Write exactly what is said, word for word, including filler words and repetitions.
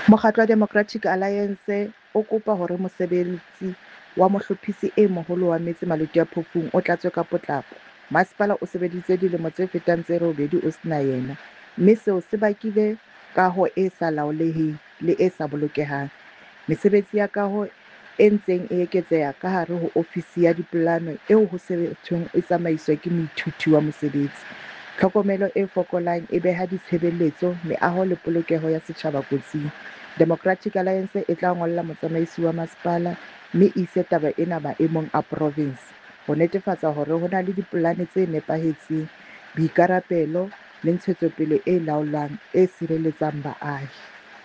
Mokgatlo wa Democratic Alliance o kopa hore mosebetsi wa Mohlophisi e Moholo wa Metse Maluti-a-Phofung o tlatswe ka potlako. Masepala o sebeditse dilemo tse fetang tse robedi o sena yena, mme seo se bakile kaho e sa laoleheng le e sa bolokehang. Mesebetsi ya kaho e ntseng e eketseha ka hare ho ofisi ya dipolano eo ho thweng e tsamaiswa ke moithuti wa mosebetsi. Tlhokomelo e fokolang e beha ditshebeletso, meaho le polokeho ya setjhaba kotsing. Democratic Alliance e tla ngolla motsamaisi wa masepala mme e ise taba ena maemong a provinse ho netefatsa hore ho na le dipolane tse nepahetseng, boikarabelo le ntshetsopele e laolwang e sireletsang baahi.